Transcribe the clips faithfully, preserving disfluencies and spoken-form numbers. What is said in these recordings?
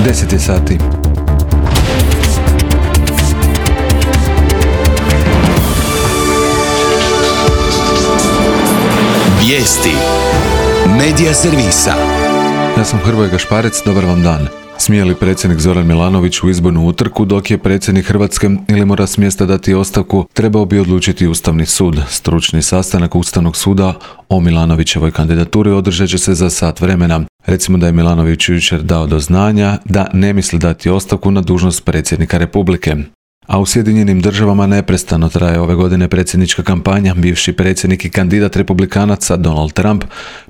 deset je sati. Vijesti Medija servisa. Ja sam Hrvoje Gašparec, dobar vam dan. Smije li predsjednik Zoran Milanović u izbornu utrku dok je predsjednik Hrvatske ili mora s mjesta dati ostavku, trebao bi odlučiti Ustavni sud. Stručni sastanak Ustavnog suda o Milanovićevoj kandidaturi održat će se za sat vremena. Recimo da je Milanović jučer dao do znanja da ne misli dati ostavku na dužnost predsjednika Republike. A u Sjedinjenim državama neprestano traje ove godine predsjednička kampanja. Bivši predsjednik i kandidat republikanaca Donald Trump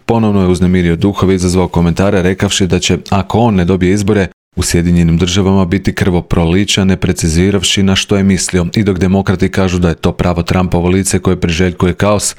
ponovno je uznemirio duhove i izazvao komentare rekavši da će, ako on ne dobije izbore, u Sjedinjenim državama biti krvoprolića, ne preciziravši na što je mislio. I dok demokrati kažu da je to pravo Trumpovo lice koje priželjkuje kaos,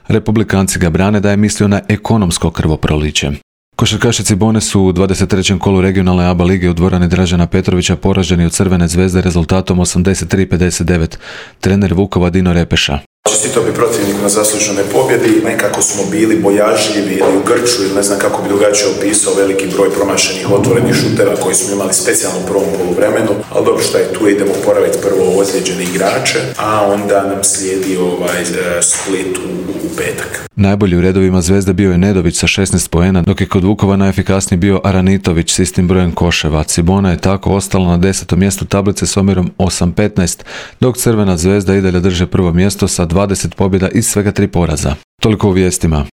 republikanci ga brane da je mislio na ekonomsko krvoproliće. Košarkaši Cibone su u dvadeset trećem kolu regionalne A B A lige u dvorani Dražena Petrovića poraženi od Crvene zvezde rezultatom osamdeset tri pedeset devet. Trener Vukova Dino Repeša. Čestitao bi protivniku na zasluženoj pobjedi, nekako smo bili bojažljivi ili u grču ili ne znam kako bi drugačije opisao veliki broj promašenih otvorenih šuteva koji smo imali specijalno u prvom poluvremenu, ali dobro što je tu, idemo poraviti prvo ozlijeđene igrače, a onda nam slijedi ovaj Split u, u petak. Najbolji u redovima Zvezde bio je Nedović sa šesnaest poena, dok je kod Vukova najefikasniji bio Aranitović s istim brojem koševa. Cibona je tako ostala na desetom mjestu tablice s omjerom osam petnaest, dok Crvena zvezda i dalje drže prvo mjesto sa dvadeset pobjeda i svega tri poraza. Toliko u vijestima.